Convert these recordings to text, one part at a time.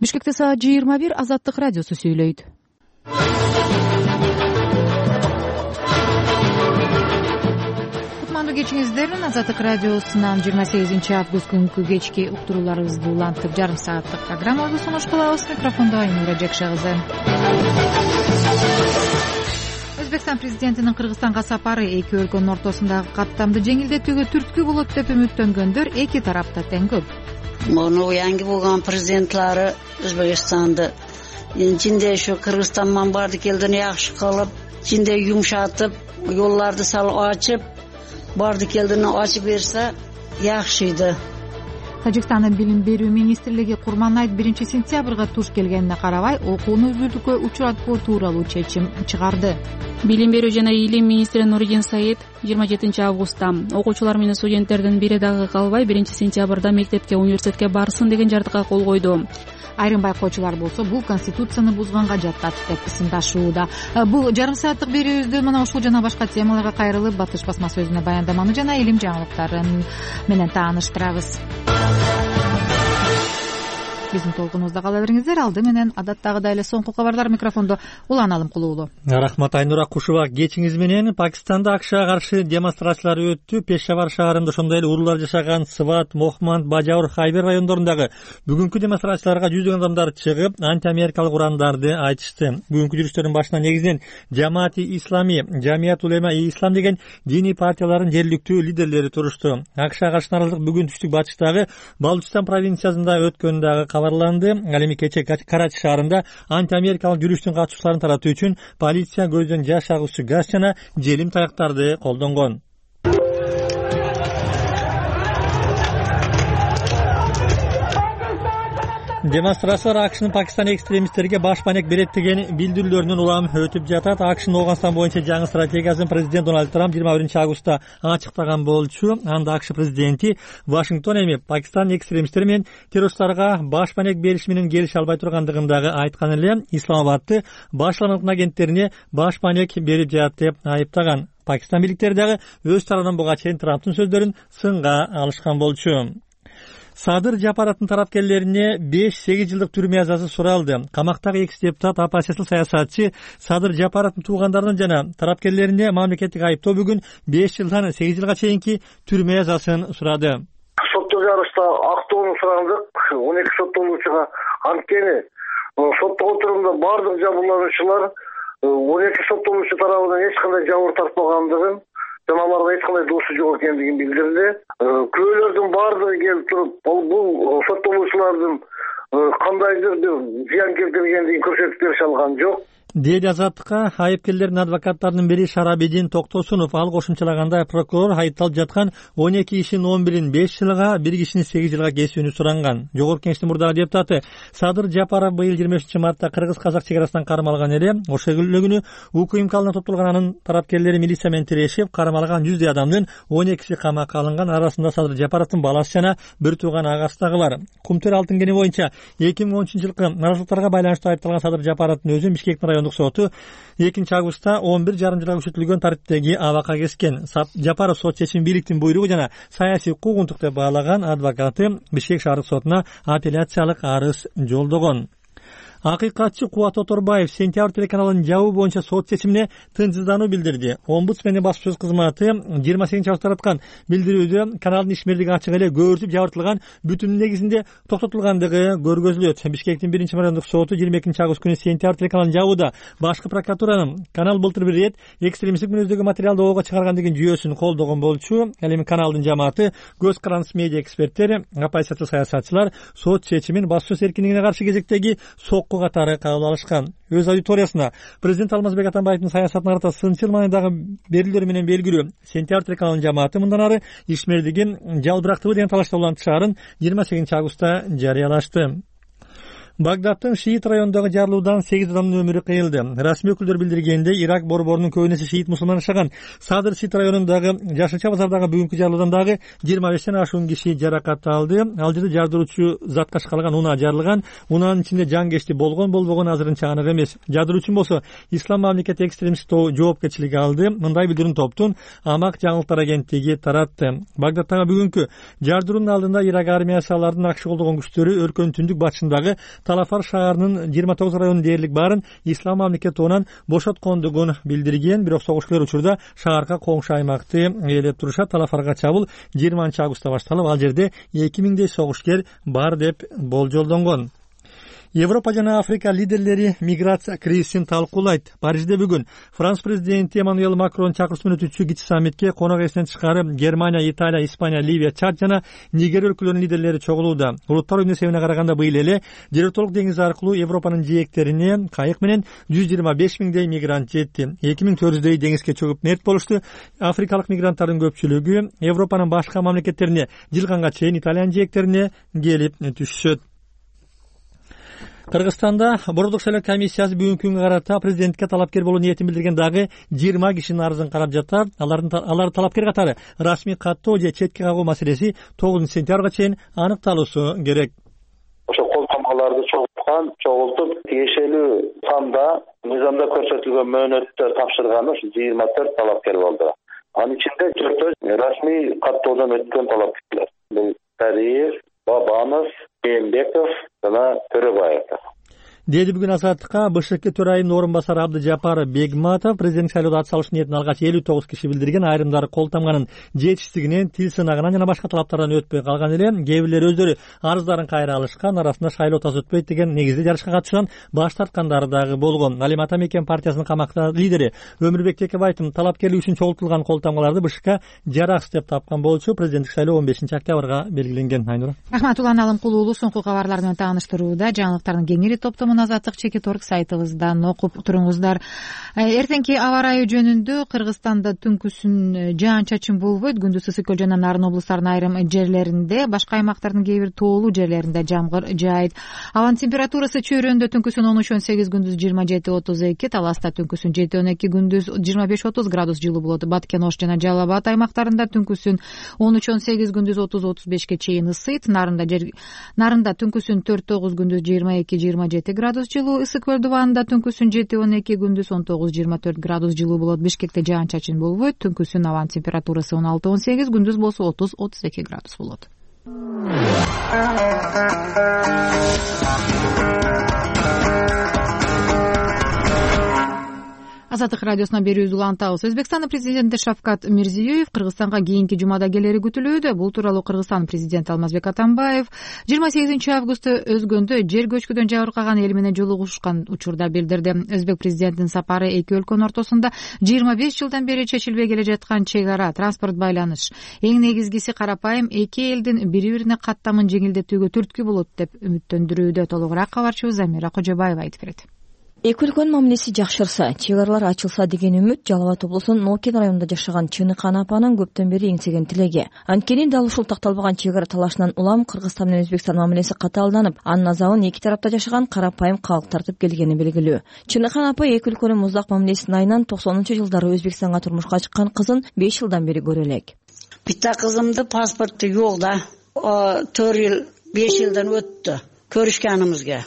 Бишкекте саат 21 Азаттык радиосу сүйлөйт. Кутмандуу кечиңиздер. Азаттык радиосунан 28 август күнкү кечки уктурууларыбызды улантып, жарым сааттык программабызды сунуш кылабыз. Микрофондо Айнура Жекше кызы. Өзбекстан президентинин Кыргызстанга сапары эки өлкөнүн ортосундагы каттамды жеңилдетүүгө түрткү болот деп үмүттөнгөндөр эки тарапта тең көп. Муну yangi болгон президентлары Өзбекстанды жинде ушу Кыргызстан менен барды келдин жакшы кылып, жинде юмшатып, жолдорду салып ачып, барды келдин ачып берсе жакшыйды. Тажикстандын билим берүү министрлиги Курман айт 1 сентябрга туш келгенине карабай, окууну үзүлтүүгө учуратпоо тууралуу чечим чыгарды. Билим берүү жана илим министри Нуридин Саид 27 августта окуучулар менен студенттердин бири дагы калбай 1 сентябрда мектепке, университетке барсын деген жартыкка кол койду. Айрым байкоочулар болсо бул конституцияны бузганга жатат деп ысындашууда. Бул жарым сааттык берүүбүздө мына ушул жана башка темаларга кайрылып, Батыш басмасы өзүнө баяндаманы жана илим жаңылыктарын менен тааныштырабыз. Биздин толкунубузда кала бериңиздер. Алды менен адаттагыдай эле соңку кабарлар. Микрофондо Улан Алымкулуулу. Рахмат Айнура Кушуба. Кечиңиз менен Пакистанда АКШга каршы демонстрациялар өттү. Пешавар шаарында ошондой эле уруулар жашаган Сват, Мохманд, Бажаур, Хайбер райондорундагы бүгүнкү демонстрацияларга жүздөгөн адамдар чыгып, антиамерикалык урандарды айтышты. Бүгүнкү жүрүштөрдүн башына негизинен Жамаати Ислами, Жамият Улема и Ислам деген диний партиялардын жергиликтүү лидерлери турушту. АКШга каршы наразылык бүгүн түштүк батыштагы Балучистан провинциясында өткөн дагы кабарланды. Ал эми кече Карачи шаарында антиамерикалык жүрүштүн катчыларын таратуу үчүн полиция көздөн жаш агуучу газ жана желим таяктарды колдонгон. Демонстрациялар АКШнын Пакистан экстремисттерге баш банек берет деген билдирүүлөрүнөн улам өтүп жатат. АКШнын Ооганстан боюнча жаңы стратегиясын президент Дональд Трамп 21 августта ачыктаган болчу. Анда АКШ президенти Вашингтон эми Пакистан экстремисттери менен террористтарга баш банек бериш менен келише албай тургандыгын дагы айткан эле. Исламабадты башламалык агенттерине баш банек берип жатат деп айыптаган. Пакистан бийликтери дагы өз тарабынан буга чейин Трамптын сөздөрүн сынга алышкан болчу. Садыр Жапараттын тарапкерлерине 5-8 жылдык түрмө жазасы суралды. Камактагы экс депутат оппозициялык саясатчы Садыр Жапараттын туугандарынын жана тарапкерлерине мамлекеттик айыптоо бүгүн 5 жылдан 8 жылга чейинки түрмө жазасын сурады. Сотто жарышта актоону сурандык. 12 соттолуучуга анткени сотто отурумда бардык жабырлануучулар 12 соттолуучу тарабынан эч кандай жабыр тартпагандыгын жана аларга эч кандай досу жок экендигин билдирди. Күбөлөрдүн баардыгы келип туруп, бул соттолуучулардын кандайдыр бир зыян келтиргендигин көрсөтүп берише алган жок. Деди Азаттыкка айыпкерлердин адвокаттарынын бири Шарабидин Токтосунов. Ал кошумчалаганда прокурор айыпталып жаткан 12 кишинин 11-ин 5 жылга, бир кишинин 8 жылга кесүүнү суранган. Жогорку Кеңештин мурдагы депутаты Садыр Жапаров быйыл 23 мартта кыргыз-казак чек арасынан кармалган эле. Ошол күнү УКМКалына топтолгон анын тарапкерлери милиция менен тирешип, кармалган 100 адамдын 12си камакка алынган. Арасында Садыр Жапаровдун баласы жана бир тууган агасы дагы бар. Кумтөр алтын кени боюнча 2013-жылкы наразылыктарга байланыштуу айыпталган Садыр Жапаровдун өзү Бишкектин райондук соту 2 августта 11 жарым жылга күчөтүлгөн тартиптеги абакка кескен. Жапаров сот чечими бийликтин буйругу жана саясий куугунтук деп баалаган. Адвокаты Бишкек шаардык сотуна апелляциялык арыз жолдогон. Акыйкатчы Кубат Оторбаев Сентябрь телеканалынын жабуу боюнча сот чечимине тынчсыздануу билдирди. Омбудсмендин баспасөз кызматы 28 августта тараткан билдирүүдө каналдын ишмерлиги ачык эле көбүртүп жабыртылган, бүтүн негизинде токтотулгандыгы көргөзүлөт. Бишкектин 1 райондук соту 22 август күнү Сентябрь телеканалын жабууда башкы прокуратуранын канал былтыр бир рет экстремисттик мүнөздөгү материалды ого чыгарган деген жүйөсүн колдогон болчу. Ал эми каналдын жамааты, Көз карандысы медиа эксперттери, оппозициялык саясатчылар сот чечимин баспасөз эркиндигине каршы кезектеги катары кабыл алышкан. Өз аудиториясына президент Алмазбек Атамбаевдин саясатына карата сынчыл маанидагы берүүлөр менен белгилүү Сентябрь телеканалынын жамааты мындан ары ишмердигин жалбырактыбы деген талашта улантышаарын 28 августта жарыялашты. Багдадтын Шиит районундагы жарылуудан 8 адамдын өмүрү кыйылды. Расмий өкүлдөр билдиргендей, Ирак борборунун көбүнесе шиит мусулман жашаган Садыр Шиит районундагы Жашылча базардагы бүгүнкү жарылуудан дагы 25ден ашуун киши жаракат алды. Ал жерде жардыруучу затка шкалган унаа жарылган. Унаанын ичинде жан болгон азырынча анык эмес. Жардыруучу болсо Ислам мамлекети экстремист жоопкерчилиги алды. Мындай билдирүүнү топтун Амак жаңылыктар агенттиги таратты. Багдадтагы бүгүнкү жардыруунун алдында Ирак армиясы алардын акшы колдогон күчтөрү өлкөнүн түндүк батышындагы Талафар шаарынын 29 районунун дээрлик баарын ислам мамлекети тобунан бошоткондугун билдирген. Бирок согушкер учурда шаарга коңшу аймакты ээлеп турушат. Талафарга чабуул 20-августта башталып, ал жерде 2000 согушкер бар деп болжолдонгон. Европа жана Африка лидерлери миграция кризисин талкуулайт. Парижде бүгүн Франс президенти Эммануэль Макрон чакыруусу менен өтүүчү кичи саммитке конок ээсинен тышкары Германия, Италия, Испания, Ливия, Чад жана Нигер өлкөлөрүнүн лидерлери чогулууда. Улуттар уюмунун эсебине караганда быйыл эле Жеротолук деңизи аркылуу Европанын жээктерине кайык менен 125 миңдей мигрант жетти. 2400дөй деңизге чөгүп мерт болушту. Африкалык мигранттардын көпчүлүгү Европанын башка мамлекеттерине жылганга чейин Италиянын жээктерине келип түшүшөт. Кыргызстанда Бордук шайлоо комиссиясы бүгүнкү күнгө карата президентке талапкер болуу ниетин билдирген дагы 20 кишинин арызын карап жатат. Алар талапкер катары расмий каттоо же четке кагуу маселеси 9-сентябрга чейин аныкталуусу керек. Ошо колтомаларды чогултуп тиешелүү санда мыйзамда көрсөтүлгөн мөөнөттө тапшырганы ушу 24 талапкер болду. Анын ичинде 4 расмий каттоодон өткөн талапкерлер. Бул Тариев, Бабанов, Эмбеков жана Төрөбаев. Деди бүгүн Азаттыкка БШК төрайымынын орун басары Абдыжапар Бегматов президент шайлоодо ат салыш ниетин алгач 59 киши билдирген. Айрымдары кол тамганын жетишсиздигинен, тил сынагынан жана башка талаптардан өтпөй калган эле. Кээ бирлери өздөрү арыздарын кайра алышкан, арасында шайлоо таз өтпөйт деген негизде жарышка катышуудан баш тарткандары дагы болгон. Ал эми Ата Мекен партиясынын камакта лидери Өмүрбек Текебаевдин талапкерлиги үчүн чогултулган кол тамгаларды БШК жараксыз деп тапкан болчу. Президенттик шайлоо 15-октябрга белгиленген. Айнура Рахматулла Алымкулуулу соңку кабарлар менен тааныштырууда. Жаңылыктардын кеңири топтомун Азаттык Чекиторг сайтыбыздан окуп туруңуздар. Эртеңки аба ырайы жөнүндө Кыргызстанда түнкүсүн жаан-чачын болбойт. Күндүз Ысык-Көл жана Нарын облустарынын айрым жерлеринде, башка аймактардын кээ бир тоолуу жерлеринде жамгыр жаайт. Абанын температурасы чөйрөндө түнкүсүн 13-18, күндүз 27-32, Таласта түнкүсүн 7-12, күндүз 25-30 градус жылуу болот. Баткен, Ош жана Жалал Абад аймактарында түнкүсүн 13-18, күндүз 30-35 чейин ысыйт. Нарында түнкүсүн 4-9, күндүз 22-27 градус жылуу. Ысык-Көл дубанында түнкүсүн 7-12, күндүз 19-24 градус жылуу болот. Бишкекте жаан-чачын болбойт. Түнкүсүн абанын температурасы 16-18, күндүз болсо 30-32 градус болот. Азаттык радиосуна берүүбүздү улантабыз. Өзбекстандын президенти Шавкат Мирзиёев Кыргызстанга кийинки жумада келери күтүлүүдө. Бул тууралуу Кыргызстандын президенти Алмазбек Атамбаев 28-августта Өзгөндө жер көчкүдөн жабыркаган эл менен жолугушкан учурда билдирди. Өзбек президентинин сапары эки өлкөнүн ортосунда 25 жылдан бери чечилбей келе жаткан чек ара, транспорт байланыш, эң негизгиси карапайым эки элдин бири-бирине каттамын жеңилдетүүгө түрткү болот деп үмүттөндүрүүдө. Толугураак кабарчыбыз Замира Кожобаева айтып берет. Эки өлкөнүн мамилеси жакшырса, чек аралар ачылса деген үмүт Жалал Абад облусунун Нокен районунда жашаган Чыныхан апанын көптөн бери эңсеген тилеги. Анткени дал ушул такталбаган чек ара талашынан улам Кыргызстан менен Өзбекстан мамилеси катаалданып, анын азабын эки тарапта жашаган карапайым калк тартып келгени белгилүү. Чыныхан апа эки өлкөнүн муздак мамилесинин айынан 90-жылдары Өзбекстанга турмушка чыккан кызын 5 жылдан бери көрө элек. Биtta кызымды паспорту жок да. 4 жыл 5 жылдан өттү көрүшкөнүбүзгө.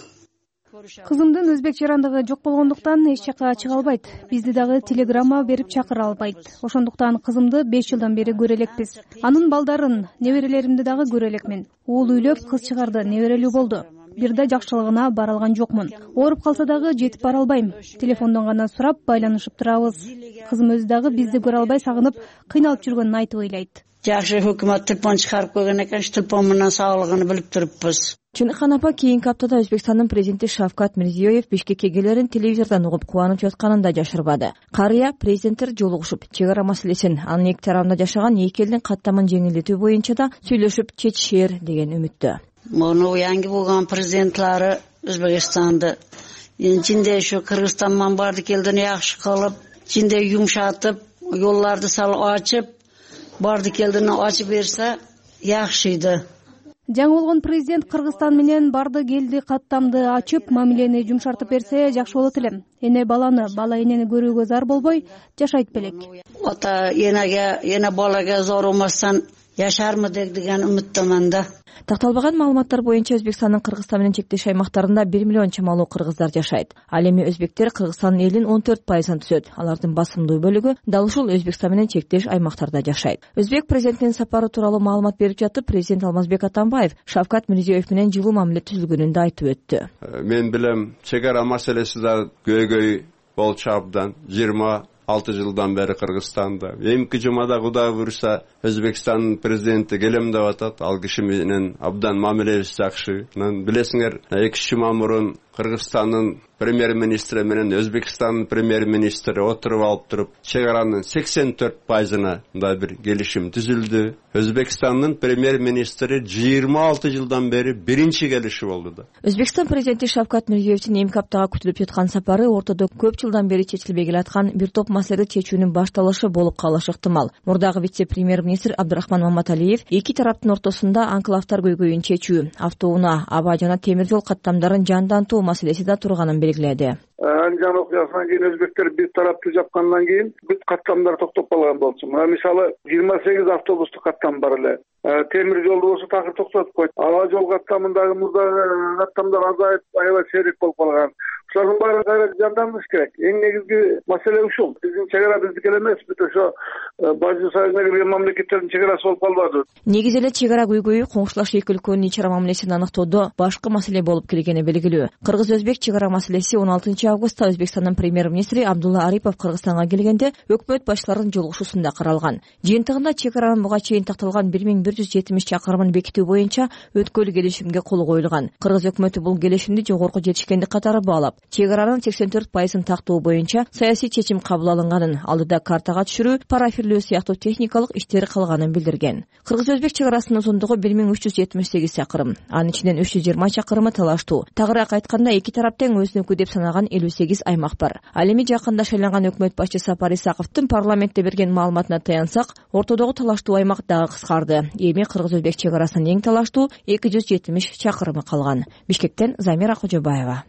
Кызымдын өзбек жарандыгы жок болгондуктан эч жака чыга албайт. Бизди дагы телеграмма берип чакыра албайт. Ошондуктан кызымды 5 жылдан бери көрө элекпиз. Анын балдарын, неберелеримди дагы көрө элекмин. Уул үйлөп, кыз чыгарды, неберелүү болду. Бир да жакшылыгына бара алган жокмун. Ооруп калса дагы жетип бара албайм. Телефондон гана сурап байланышып турабыз. Кызым өзү дагы бизди көрө албай сагынып, кыйналып жүргөнүн айтып ыйлайт. Жакшы өкмөт телефон чыгарып койгон экен, телефон менен сагалыгын билип туруппуз. Чыныхан апа кийинки аптада Өзбекстандын президенти Шавкат Мирзиёев Бишкекке келерин телевизордон угуп кубанып жатканын да жашырбады. Карыя президенттер жолугушуп, чек ара маселесин, анын эки тарабында жашаган эки элдин каттамын жеңилдетүү боюнча да сүйлөшүп чечишер деген үмүттө. Муну yangi болгон президентлери Өзбекстанды жинде ушу Кыргызстандан барды келдин жакшы кылып, жинде юмшатып, жолдорду салып ачып, барды келдин ачып берсе жакшыйды. Жаңы болгон президент Кыргызстан менен барды келди каттамды ачып, мамилени жумшартып берсе жакшы болот эле. Эне баланы, бала энени көрүүгө зар болбой жашайт белек. Ата энеге, эне балага зор болмастан жашармыдык деген үмүттөмөн да. Такталбаган маалыматтар боюнча Өзбекстандын Кыргызстан менен чектеш аймактарында 1 миллион чамалуу кыргыздар жашайт. Ал эми өзбектер Кыргызстандын элинин 14% түзөт. Алардын басымдуу бөлүгү дал ушул Өзбекстан менен чектеш аймактарда жашайт. Өзбек президентинин сапары тууралуу маалымат берип жатып, президент Алмазбек Атамбаев Шавкат Мирзиёев менен жылуу мамиле түзүлгөнүн да айтып өттү. Мен билем, чек ара маселеси да көйгөй болчу абдан 26 жылдан бери Кыргызстанда. Эмки жумада Кудай буйруса Өзбекстандын президенти келем деп атат. Ал киши менен абдан мамилебиз жакшы. Билесиңер, 2 жума мурун Кыргызстандын премьер-министри менен Өзбекстандын премьер-министри отуруп алып туруп, чек аранын 84%-на мындай бир келишим түзүлдү. Өзбекстандын премьер-министри 26 жылдан бери биринчи келиши болду да. Өзбекстан президенти Шавкат Мирзиёевдин эмки аптага күтүлүп жаткан сапары ортодо көп жылдан бери чечилбей келаткан бир топ маселеди чечүүнүн башталышы болуп калышы ыктымал. Мурдагы вице-премьер-министр Абдурахман Маматалиев эки тараптын ортосунда анклавтар көйгөйүн чечүү, автоунаа, аба жана темир жол каттамдарын жандантуу маселеси да турганын белгиледи. Анжан окуясынан кийин өзбектер бир тарапты жапкандан кийин бүт каттамдар токтоп калган болчу. Мисалы 28 автобустук каттам бар эле. Темир жолду болсо такыр токтотуп койт. Аба жол каттамындагы мурдагы каттамдар азайып, аябай сейрек болуп калган. Ушулардын баарын кайра жандандырыш керек. Эң негизги маселе ушул. Биздин чек ара биздики эле эмес, бүт ошо Бажы Союзуна кирген мамлекеттердин чек арасы болуп калбады. Негизи эле чек ара көйгөйү коңшулаш эки өлкөнүн ич ара мамилесин аныктоодо башкы маселе болуп келгени белгилүү. Кыргыз-өзбек чек ара маселеси 16 августта Өзбекстандын премьер-министри Абдулла Арипов Кыргызстанга келгенде өкмөт башчыларынын жолугушуусунда каралган. Жыйынтыгында чек аранын буга чейин такталган 1170 чакырымын бекитүү боюнча өткөл келишимге кол коюлган. Кыргыз өкмөтү бул келишимди жогорку жетишкендик катары баалап, чек аранын 84%-ын тактоо боюнча саясий чечим кабыл алынганын, алдыда картага түшүрүү, парафирлөө сыяктуу техникалык иштер калганын билдирген. Кыргыз-өзбек чек арасынын узундугу 1378 чакырым, анын ичинен 320 чакырымы талаштуу. Тагыраак айтканда, эки тарап тең өзүнүкү деп санаган 58 аймак бар. Ал эми жакында шайланган өкмөт башчысы Сапар Исаковдун парламентте берген маалыматына таянсак, ортодогу талаштуу аймак дагы кыскарды. Эми Кыргыз-өзбек чек арасынын эң талаштуу 270 чакырымы калган. Бишкектен Замира Кожобаева.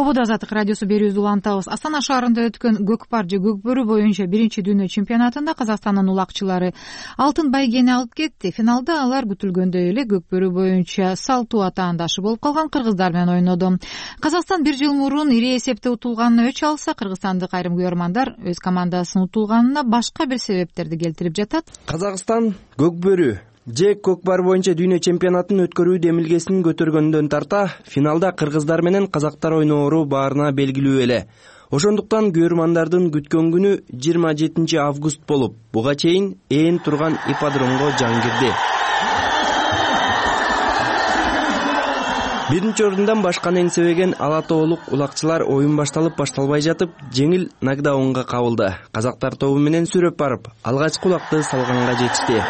Ободо Азаттык радиосу берүүбүздү улантабыз. Астана шаарында өткөн көкпар же көкбөрү боюнча биринчи дүйнө чемпионатында Казакстандын улакчылары алтын байгени алып кетти. Финалда алар күтүлгөндөй эле көкбөрү боюнча салттуу атаандашы болуп калган кыргыздар менен ойноду. Казакстан бир жыл мурун ири эсепте утулганына өч алса, кыргызстандык айрым көрөрмандар өз командасынын утулганына башка бир себептерди келтирип жатат. Казакстан көкбөрү же көкпар боюнча дүйнө чемпионатын өткөрүү демилгесин көтөргөндөн тарта финалда кыргыздар менен казактар ойноору баарына белгилүү эле. Ошондуктан көрөрмандардын күткөн күнү 27 август болуп, буга чейин ээн турган ипподромго жан кирди. Биринчи орундан башканы эңсебеген ала тоолук улакчылар оюн башталып-башталбай жатып жеңил нокдаунга кабылды. Казактар тобу менен сүрөп барып, алгачкы улакты салганга жетишти.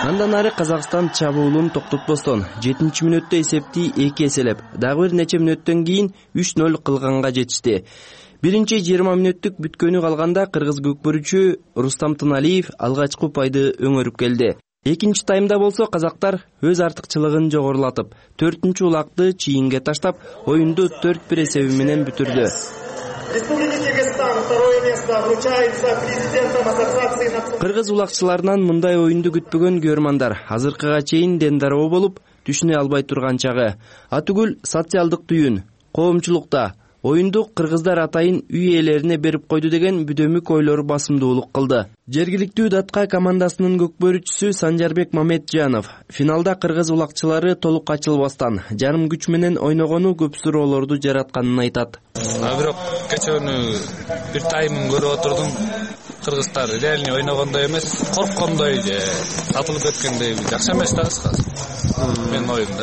Андан ары Казакстан чабуулун токтотпостон 7-мүнөттө эсепти 2 эселеп, дагы бир нече мүнөттөн кийин 3-0 кылганга жетишти. Биринчи 20 мүнөттүк бүткөнү калганда кыргыз көкбөрүчү Рустам Тыналиев алгачкы упайды өңөрүп келди. Экинчи таймда болсо казактар өз артыкчылыгын жогорулатып, 4-чү улакты чийинге таштап, оюнду 4-1 эсеби менен бүтүрдү. Кыргыз улакчыларынан мындай оюнду күтпөгөн көрөрмандар азыркыга чейин дендароо болуп, түшүнө албай турган чагы. Атүгүл социалдык түйүн, коомчулукта оюнду кыргыздар атайын үй ээлерине берип койду деген бүдөмүк ойлору басымдуулук кылды. Жергиликтүү Датка командасынын көкбөрүчүсү Санжарбек Мамеджанов финалда кыргыз улакчылары толук ачылбастан жарым күч менен ойногону көп суроолорду жаратканын айтат. Бирок кечөөнү бир таймын көрүп отурдум. Кыргыздар реально ойногондой эмес, корккондой же сатылып кеткендей жакшы эмес да кыскасы. Мен оюмда.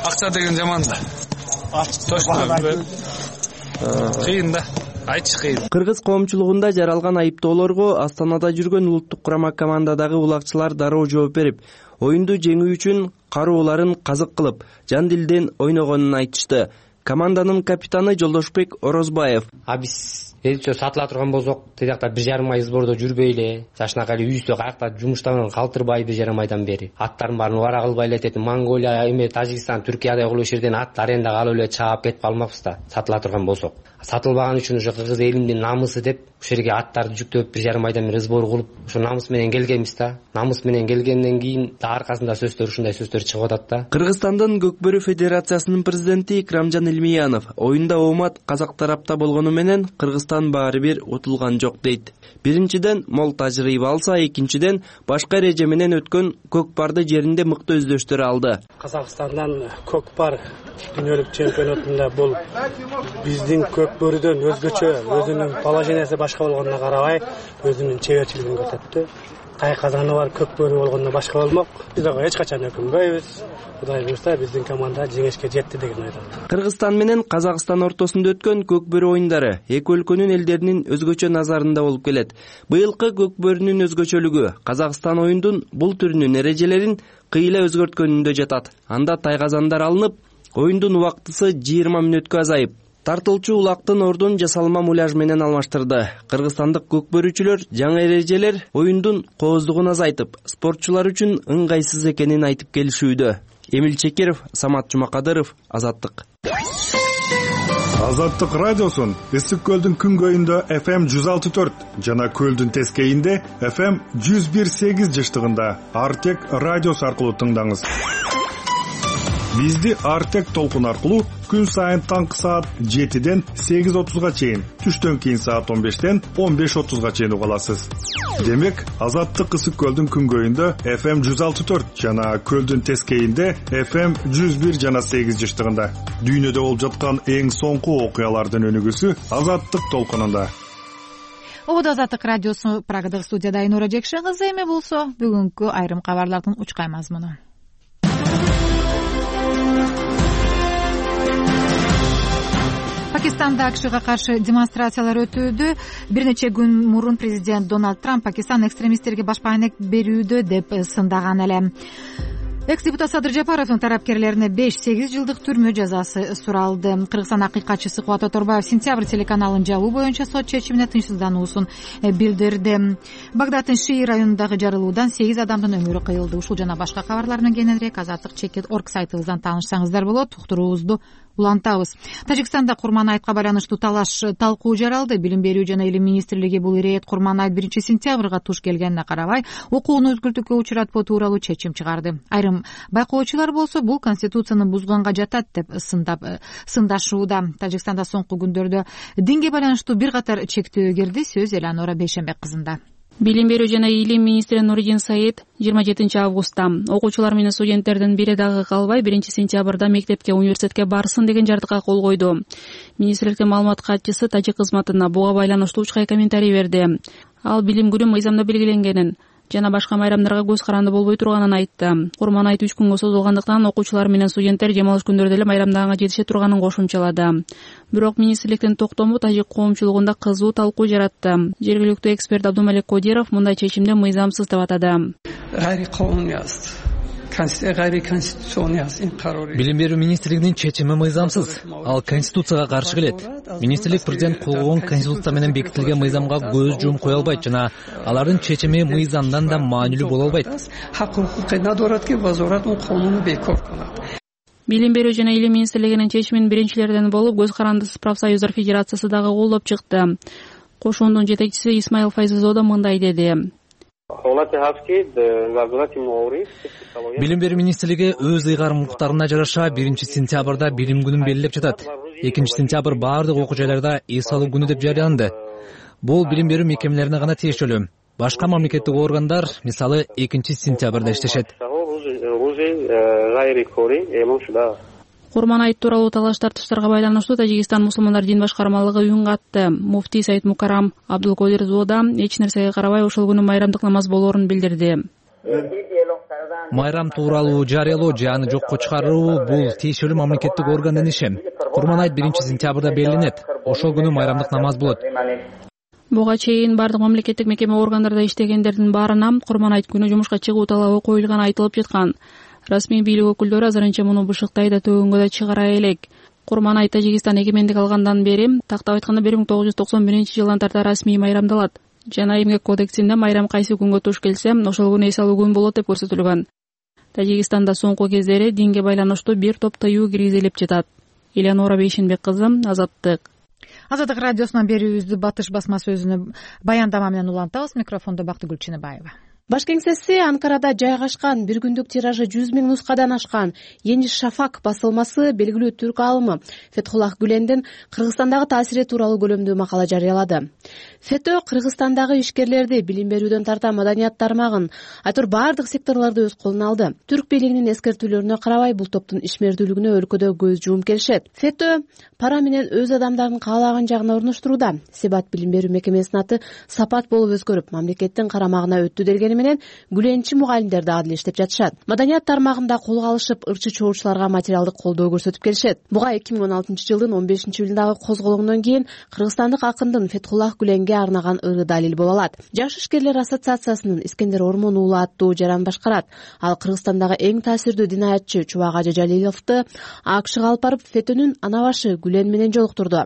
Акча деген жаман да. Точно. Кыйын да. Айтыш кыйын. Кыргыз коомчулугунда жаралган айыптоолорго Астанада жүргөн улуттук курама командадагы улакчылар дароо жооп берип, оюнду жеңүү үчүн карооларын казык кылып, жан дилден ойногонун айтышты. команданын капитаны Жолдошбек Орозбаев. Биз элче сатыла турган болсок, тиякта 1,5 ай сбордо жүрбөйлө, жашынакай эле үйүстө каякта жумуштан калтырбай 1,5 айдан бери аттардын баарын убара кылбай эле этет. Монголия, Тажикстан, Түркиядай кылып иш жерден ат арендага алып эле чаап кетип калмакпыз да, сатыла турган болсок. Сатылбаган үчүн ошо кыргыз элинин намысы деп ошол жерге аттарды жүктөп 1,5 айдан бери сбор кылып, ошо намыс менен келгенбиз да. Намыс менен келгенден кийин да аркасында ушундай сөздөр чыгып атат да. Кыргызстандын Көкбөрү Федерациясынын президенти Икрамжан Илмиянов оюнда оомат казак тарапта болгону менен Кыргызстан баары бир утулган жок дейт. Биринчиден мол тажрыйба алса, экинчиден башка эреже менен өткөн көкпарды жеринде мыкты өздөштөр алды. Казакстандан көкпар дүйнөлүк чемпионатында бул биздин көкбөрүдөн өзгөчө, өзүнүн положениясы башка болгонуна карабай, өзүнүн чеберчилигин көрсөттү. Тайказаны бар көкбөрү болгондо башка болмок. Биз ага эч качан өкүнбөйбүз. Кудай буйрса биздин команда жеңишке жетти деген ойдон. Кыргызстан менен Казакстан ортосунда өткөн көкбөрү оюндары эки өлкөнүн элдеринин өзгөчө назарында болуп келет. Быйылкы көкбөрүнүн өзгөчөлүгү Казакстан оюндун бул түрүнүн эрежелерин кыйла өзгөрткөнүндө жатат. Анда тайказандар алынып, оюндун убактысы 20 мүнөткө азайып, тартылчу улактын ордун жасалма муляж менен алмаштырды. Кыргызстандык көкбөрүүчүлөр жаңы эрежелер оюндун кооздугун азайтып, спортчулар үчүн ыңгайсыз экенин айтып келишүүдө. Эмил Чекеров, Самат Жумакадыров, Азаттык. Азаттык радиосун Ысык көлдүн күнгөйүндө FM 106.4 жана көлдүн тескейинде FM 101.8 жыштыгында Артек радиосу аркылуу тыңдаңыз. Бизди Артек толкун аркылуу күн сайын таңкы саат 7ден 8:30га чейин, түштөн кийин саат 15ден 15:30га чейин уга аласыз. Демек, Азаттык Ысык көлдүн күнгөйүндө FM 106.4 жана көлдүн тескейинде FM 101 жана 8 жыштыгында. Дүйнөдө болуп жаткан эң соңку окуялардын өнүгүүсү Азаттык толкунунда. Ободо Азаттык радиосу Прагадагы студияда Айнура Жекшен кызы, эми болсо бүгүнкү айрым кабарлардын учкай мазмуну. Пакистанда АКШга каршы демонстрациялар өтүүдө. Бир нече күн мурун президент Дональд Трамп Пакистан экстремисттерге башпаанек берүүдө деп сындаган эле. Экс-депутат Садыр Жапаровдун тарапкерлерине 5-8 жылдык түрмө жазасы суралды. Кыргызстан акыйкатчысы Кубат Оторбаев сентябрь телеканалын жабуу боюнча сот чечимине тынчсыздануусун билдирди. Багдаддын Шии районундагы жарылуудан 8 адамдын өмүрү кыйылды. Ушул жана башка кабарлар менен кененирээк Азаттык.org сайтыбыздан таанышсаңыздар болот. Уктуруубузду улантабыз. Тажикстанда Курманайтка байланыштуу талкуу жаралды. Билим берүү жана илим министрлиги бул ирет Курманайт 1 сентябрга туш келгенине карабай окууну өзгөртүүгө учуратпоо тууралуу чечим чыгарды. Айрым байкоочулар болсо бул конституцияны бузганга жатат деп сындашууда. Тажикстанда соңку күндөрдө динге байланыштуу бир катар чектөө кирди. Сөз Эланора Бейшенбек кызында. Билим берүү жана илим министри Нуридин Саид 27 августта окуучулар менен студенттердин бири дагы калбай 1 сентябрда мектепке, университетке барсын деген жардыкка кол койду. Министрликтин маалымат катчысы тажик кызматына буга байланыштуу учкай комментарий берди. Ал билим күнү мыйзамда белгиленгенин жана башка майрамдарга көз каранды болбой турганын айтты. Курманайт 3 күнгө созулгандыктан окуучулар менен студенттер дем алыш күндөрдө эле майрамдаганга жетише турганын кошумчалады. Бирок министрликтин токтому тажик коомчулугунда кызуу талкуу жаратты. Жергиликтүү эксперт Абдумалик Кодиров мындай чечимди мыйзамсыз деп атады. Билим берүү министрлигинин чечими мыйзамсыз. Ал конституцияга каршы келет. Министрлик президент кол койгон конституция менен бекитилген мыйзамга көз жумуп кое албайт жана алардын чечими мыйзамдан да маанилүү боло албайт. Билим берүү жана илим министрлигинин чечимин биринчилерден болуп Көз карандысыз профсоюздар федерациясы дагы колдоп чыкты. Кошуундун жетекчиси Исмаил Файзизо да мындай деди. Билим берүү министрлиги өз ыйгарымдуулуктарына жараша 1 сентябрда билим күнүн белгилеп жатат. 2 сентябрь баардык окуу жайларда эс алуу күнү деп жарыяланды. Бул билим берүү мекемелерине гана тиешелүү. Башка мамлекеттик органдар, мисалы, 2 сентябрда иштешет. Курманайт тууралуу талаш тартыштарга байланыштуу Тажикстан мусулмандар дин башкармалыгы үн катты. Муфтий Саид Мукарам Абдулкодир Зоода эч нерсеге карабай ошол күнү майрамдык намаз болоорун билдирди. Майрам тууралуу жарыялоо же аны жокко чыгаруу бул тиешелүү мамлекеттик органдын иши. Курманайт 1 сентябрда белгиленет. Ошол күнү майрамдык намаз болот. Буга чейин бардык мамлекеттик мекеме органдарда иштегендердин баарына Курманайт күнү жумушка чыгуу талабы коюлганы айтылып жаткан. Расмий бийлик өкүлдөрү азырынча муну бышыктай да төгөнгө да чыгара элек. курманай Тажикстан эгемендик алгандан бери, тактап айтканда 1991-жылдан тарта расмий майрамдалат жана эмгек кодексинде майрам кайсы күнгө туш келсе, ошол күнү эс алуу күнү болот деп көрсөтүлгөн. Тажикстанда соңку кездери динге байланыштуу бир топ тыюу киргизилип жатат. Элеонора Бейшенбек кызы, Азаттык. Азаттык радиосунан берүүбүздү Батыш басма сөзүнө баяндама менен улантабыз. Микрофондо Бактыгүл Чыныбаева. Баш кеңсеси Анкарада жайгашкан 1 күндүк тиражы 100 000 нускадан ашкан Ени Шафак басылмасы белгилүү түрк алымы Фетхуллах Гүлендин Кыргызстандагы таасири тууралуу көлөмдүү макала жарыялады. Фето Кыргызстандагы ишкерлерди билим берүүдөн тарта маданият тармагын, айтор бардык секторлорду өз колуна алды. Түрк бийлигинин эскертүүлөрүнө карабай бул топтун ишмердүүлүгүнө өлкөдө көз жуум келишет. Фето пара менен өз адамдарын каалаган жагына орноштурууда. Себат билим берүү мекемесинин аты Сапат болуп өзгөрүп, мамлекеттин карамагына өттү дегени менен гүленчи мугалимдер дагы деле иштеп жатышат. Маданият тармагында колго алышып, ырчы чоочуларга материалдык колдоо көрсөтүп келишет. Буга 2016-жылдын 15-июлундагы козголоңдон кийин кыргызстандык акындын Фетхуллах Гүленге арнаган ыры далил боло алат. Жаш ишкерлер ассоциациясынын Искендер Ормон уулу аттуу жаран башкарат. Ал Кыргызстандагы эң таасирдүү динаятчы Чубак Ажы Жалиловду АКШга алып барып, Фетөнүн ана башы Гүлен менен жолуктурду.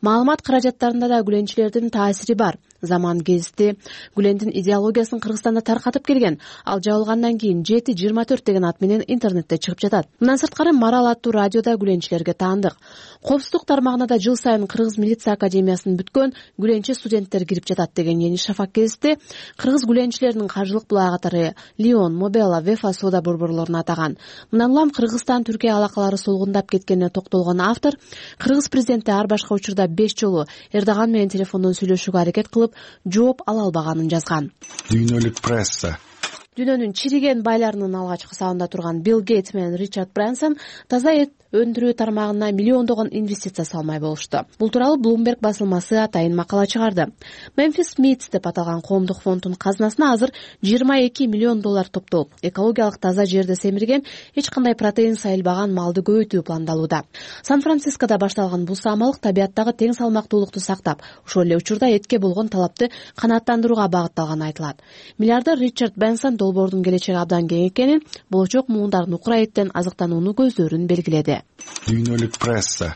Маалымат каражаттарында да гүленчилердин таасири бар. Заман гезити Гүлендин идеологиясын Кыргызстанда таркатып келген. Ал жабылгандан кийин 7-24 деген ат менен интернетте чыгып жатат. Мындан сырткары Марал аттуу радиода гүленчилерге таандык. Коопсуздук тармагына да жыл сайын Кыргыз милиция академиясын бүткөн гүленчи студенттер кирип жатат деген Ени Шафак гезити кыргыз гүленчилеринин каржылык булагы катары Лион, Мобела, Вефа соода борборлорун атаган. Мындан улам Кыргызстан Түркия алакалары солгундап кеткенине токтолгон автор Кыргыз президенти ар башка учурда 5 жолу Эрдоган менен телефондон сүйлөшүүгө аракет кылып, жооп ала албаганын жазган. Дүйнөлүк пресса. Дүйнөнүн чириген байларынын алгачкы сабында турган Билл Гейтс менен Ричард Брэнсон таза эт өндүрүү тармагына миллиондогон инвестиция салмай болушту. Бул тууралуу Bloomberg басылмасы атайын макала чыгарды. Memphis Meats деп аталган коомдук фонддун казынасына азыр $22 миллион топтолуп, экологиялык таза жерде семирген, эч кандай протеин сайылбаган малды көбөйтүү пландалууда. Сан-Францискодо башталган бул самалык табияттагы тең салмактуулукту сактап, ошол эле учурда этке болгон талапты канааттандырууга багытталганы айтылат. Миллиардер Ричард Брэнсон долбоордун келечеги абдан кең экенин, болочок муундардын укура эттен азыктанууну көздөрүн белгиледи. Дүйнөлүк пресса.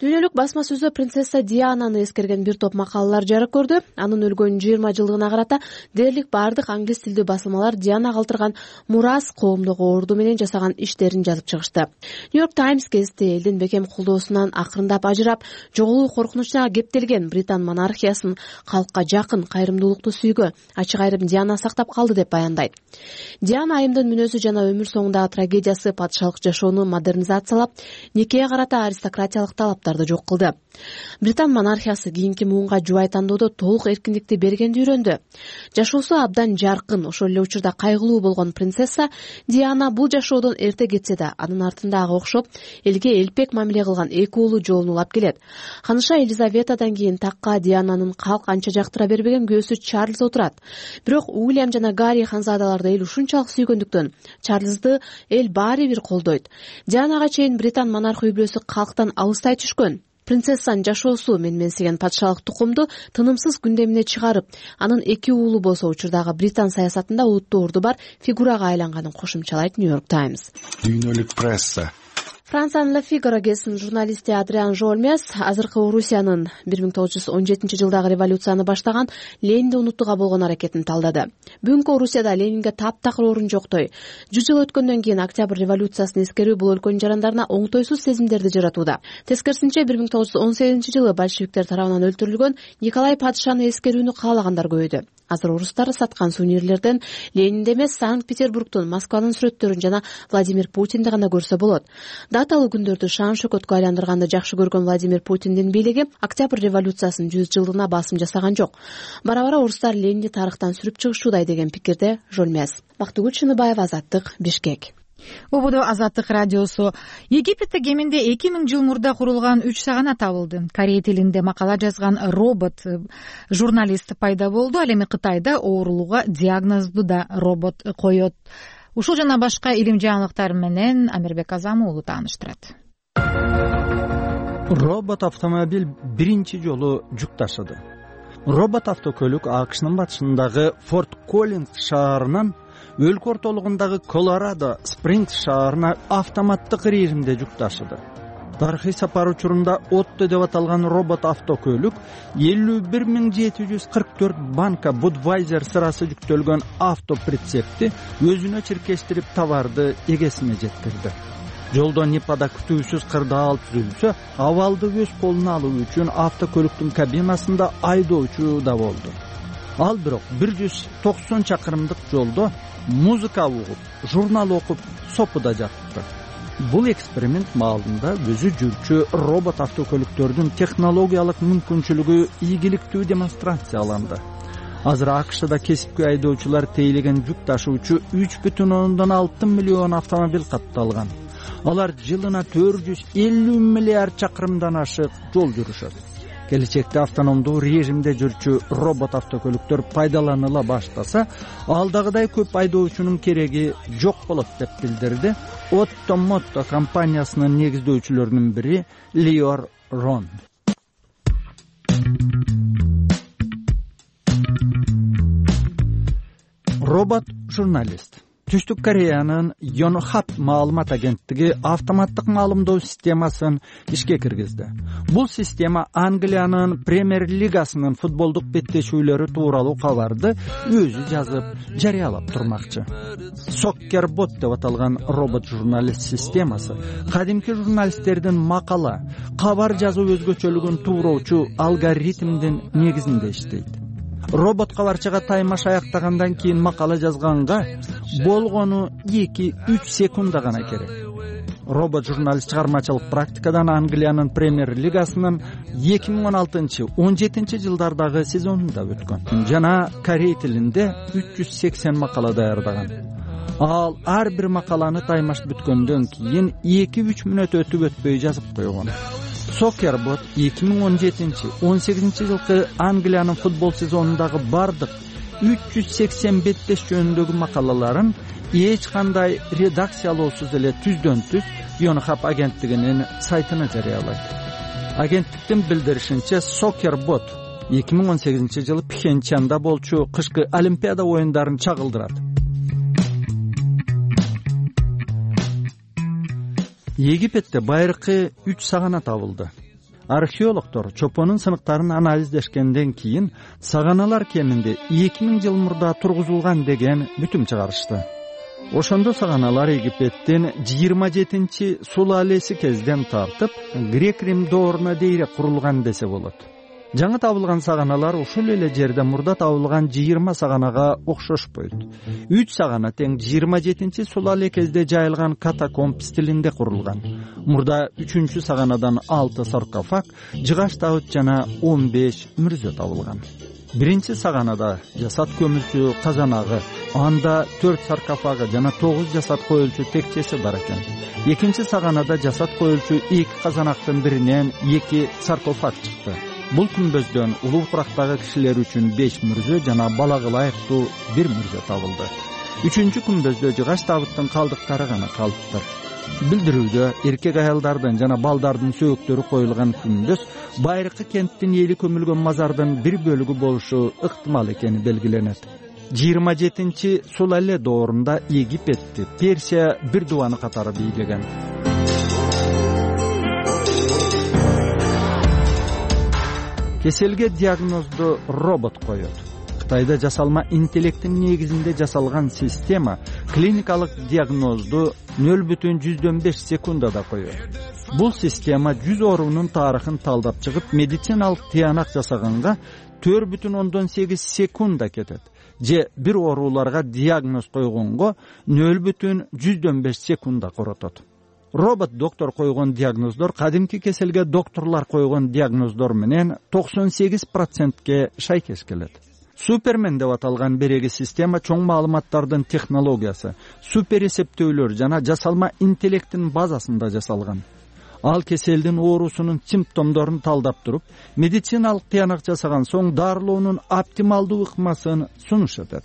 Дүйнөлүк басма сөзү принцесса Диананы эскерген бир топ макалалар жарык көрдү. Анын өлгөн 20 жылдыгына карата дээрлик бардык англис тилдүү басылмалар Диана калтырган мурас, коомдук орду менен жасаган иштерин жазып чыгышты. New York Times гезити элдин бекем колдоосунан акырындап ажырап, жоголуу коркунучуна кептелген Британ монархиясын калкка жакын, кайрымдуулукту сүйгө, ачык айрым Диана сактап калды деп баяндайт. Диана айымдын мүнөзү жана өмүр соңундагы трагедиясы патшалык жашоону модернизациялап, никеге карата аристократиялык талаптарды жок кылды. Британ монархиясы кийинки муунга жубай тандоодо толук эркиндикти бергенди үйрөндү. Жашоосу абдан жаркын, ошол эле учурда кайгылуу болгон принцесса Диана бул жашоодон эрте кетсе да, анын артындагы окшоп, элге элпек мамиле кылган эки уулу жолун улап келет. Ханыша Елизаветадан кийин такка Диананын калк анча жактыра бербеген күйөөсү Чарльз отурат. Бирок Уильям жана Гарри ханзадаларды эл ушунчалык сүйгөндүктөн Чарльзды эл баары бир колдойт. Дианага чейин Британ монарх үй бүлөсү калктан алыстай түшкөн. Принцессанын жашоосу менменсиген патшалык тукумду тынымсыз күндөмүнө чыгарып, анын эки уулу болсо учурдагы Британ саясатында улуттуу орду бар фигурага айланганын кошумчалайт New York Times. Дүйнөлүк пресса. Франциянын La Figaro гезитинин журналисти Адриан Жолмес азыркы Орусиянын 1917 жылдагы революцияны баштаган Ленинди унутууга болгон аракетин талдады. Бүгүнкү Орусияда Ленинге таптакыр орун жоктой. 100 жыл өткөндөн кийин Октябрь революциясын эскерүү бул өлкөнүн жарандарына оңтойсуз сезимдерди жаратууда. Тескерисинче 1918 жылы большевиктер тарабынан өлтүрүлгөн Николай падышаны эскерүүнү каалагандар көбөйдү. Азыр орустар саткан сувенирлерден Ленинди эмес, Санкт-Петербургтун, Москванын сүрөттөрүн жана Владимир Путинди гана көрсө болот. Даталуу күндөрдү шаан шөкөткө айландырганды жакшы көргөн Владимир Путиндин бийлиги Октябрь революциясынын 100 жылдыгына басым жасаган жок. Бара-бара орустар Ленинди тарыхтан сүрүп чыгышуудай деген пикирде Жолмес. Бактыгүл Чыныбаева, Азаттык, Бишкек. Убуду Азаттык радиосу. Египетте кеминде 2000 жыл мурда курулган 3 сагана табылды. Корей тилинде макала жазган робот журналист пайда болду. Ал эми Кытайда оорулууга диагнозду да робот коет. Ушул жана башка илим жаңылыктар менен Амирбек Азам уулу тааныштырат. Робот автомобиль биринчи жолу жүк ташыды. Робот автокөлүк АКШнын батышындагы Форт Коллинс шаарынан өлкө ортолугундагы Колорадо Спрингс шаарына автоматтык режимде жүк ташыды. тарыхый сапар учурунда отто деп аталган робот автокөлүк 51.744 банка Budweiser сырасы жүктөлгөн автоприцепти өзүнө чиркештирип товарды эгесине жеткирди. Жолдо Нипада күтүүсүз кырдаал түзүлсө, абалды өз колуна алуу үчүн автокөлүктүн кабинасында айдоочу да болду. Ал бирок 190 чакырымдык жолдо музыка угуп, журнал окуп, сопуда жатты. Бул эксперимент маалында өзү жүрчү робот автокөлүктөрдүн технологиялык мүмкүнчүлүгү ийгиликтүү демонстрацияланды. Азыр АКШда кесипкөй айдоочулар тейлеген жүк ташуучу 3,6 миллион автомобиль катталган. Алар жылына 450 миллиард чакырымдан ашык жол жүрүшөт. Келечекте автономдуу режимде жүрчү робот автокөлүктөр пайдаланыла баштаса, алдагыдай көп айдоочунун кереги жок болот деп билдирди Otto Motto компаниясынын негиздөөчүлөрүнүн бири Lior Ron. Робот журналист. Түштүк Кореянын Yonhap маалымат агенттиги автоматтык маалымдоо системасын ишке киргизди. Бул система Англиянын Премьер лигасынын футболдук беттешүүлөрү тууралуу кабарды өзү жазып, жарыялап турмакчы. Soccerbot деп аталган робот журналист системасы кадимки журналисттердин макала, кабар жазуу өзгөчөлүгүн тууроочу алгоритмдин негизинде иштейт. Робот кабарчыга таймаш аяктагандан кийин макала жазганга болгону 2-3 секунда гана керек. Робот журналист чыгармачылык практикадан Англиянын Премьер лигасынын 2016-17 жылдардагы сезонунда өткөн жана корей тилинде 380 макала даярдаган. Ал ар бир макаланы таймаш бүткөндөн кийин 2-3 мүнөт өтпөй жазып койгон. Soccerbot 2017-18 жылкы Англиянын футбол сезонундагы бардык 380 беттеш жөнүндөгү макалаларын эч кандай редакциялоосуз эле түздөн-түз Yonhap агенттигинин сайтына жарыялайт. Агенттиктин билдиришинче, Soccerbot 2018 жылы Пхенчанда болчу кышкы Олимпиада оюндарын чагылдырат. Египетте байыркы 3 сагана табылды. Археологдор чопонун сыныктарын анализдешкенден кийин саганалар кеминде 2000 жыл мурда тургузулган деген бүтүм чыгарышты. Ошондо саганалар Египеттин 27-чи сулалеси кезден тартып, Грек-Рим дооруна дейре курулган десе болот. Жаңы табылган саганалар ушул эле жерде мурда табылган 20 саганага окшошпойт. 3 сагана тең 27-чи сулале кезде жайылган катакомб стилинде курулган. Мурда 3-чү саганадан 6 саркофаг, жыгач табыт жана 15 мүрзө табылган. Биринчи саганада жасат көмүлчү казанагы, анда 4 саркофагы жана 9 жасат коюлчу текчеси бар экен. Экинчи саганада жасат коюлчу 2 казанактын биринен 2 саркофаг чыкты. Бул күмбөздөн улуу курактагы кишилер үчүн 5 мүрзө жана балага ылайыктуу 1 мүрзө табылды. 3-чү күмбөздө жыгач табыттын калдыктары гана калыптыр. Билдирүүдө эркек аялдардын жана балдардын сөөктөрү коюлган күмбөз байыркы кенттин эли көмүлгөн мазардын бир бөлүгү болушу ыктымал экени белгиленет. 27-чи сулале доорунда Египетти Персия бир дубаны катары бийлеген. Кеселге диагнозду робот коет. Кытайда жасалма интеллекттин негизинде жасалган система клиникалык диагнозду 0,5 секундада коет. Бул система 100 оорунун тарыхын талдап чыгып, медициналык тыянак жасаганга 4,8 секунда кетет. Же бир ооруларга диагноз койгонго 0,105 секунда коротот. Робот доктор койгон диагноздор кадимки кеселге доктурлар койгон диагноздор менен 98%ке шайкеш келет. Супермен деп аталган береги система чоң маалыматтардын технологиясы, супер эсептөөлөр жана жасалма интеллекттин базасында жасалган. Ал кеселдин оорусунун симптомдорун талдап туруп, медициналык тыянак жасаган соң дарылоонун оптималдуу ыкмасын сунуш этет.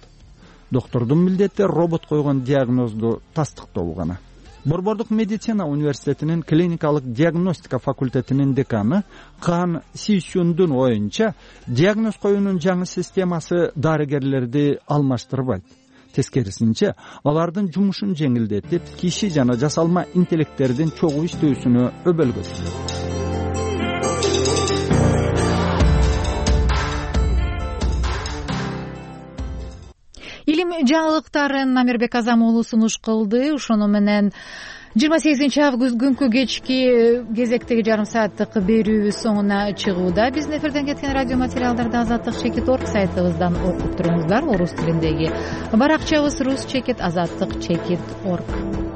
Доктордун милдети робот койгон диагнозду тастыктоо гана. Борбордук медицина университетинин клиникалык диагностика факультетинин деканы Кан Сисюндун оюнча, диагноз коюунун жаңы системасы дарыгерлерди алмаштырбайт. тескерисинче алардын жумушун жеңилдетип, киши жана жасалма интеллекттердин чогуу иштөөсүнө өбөлгөтүлөт. Илим жаңылыктарын Намирбек Азам уулу сунуш кылды. Ошону менен 28 август күнкү кечки кезектеги жарым сааттык берүүбүз соңуна чыгууда. Биздин эфирден кеткен радио материалдарды azatlyk.org сайтыбыздан окуп туруңуздар. Орус тилиндеги баракчабыз rus.azatlyk.org.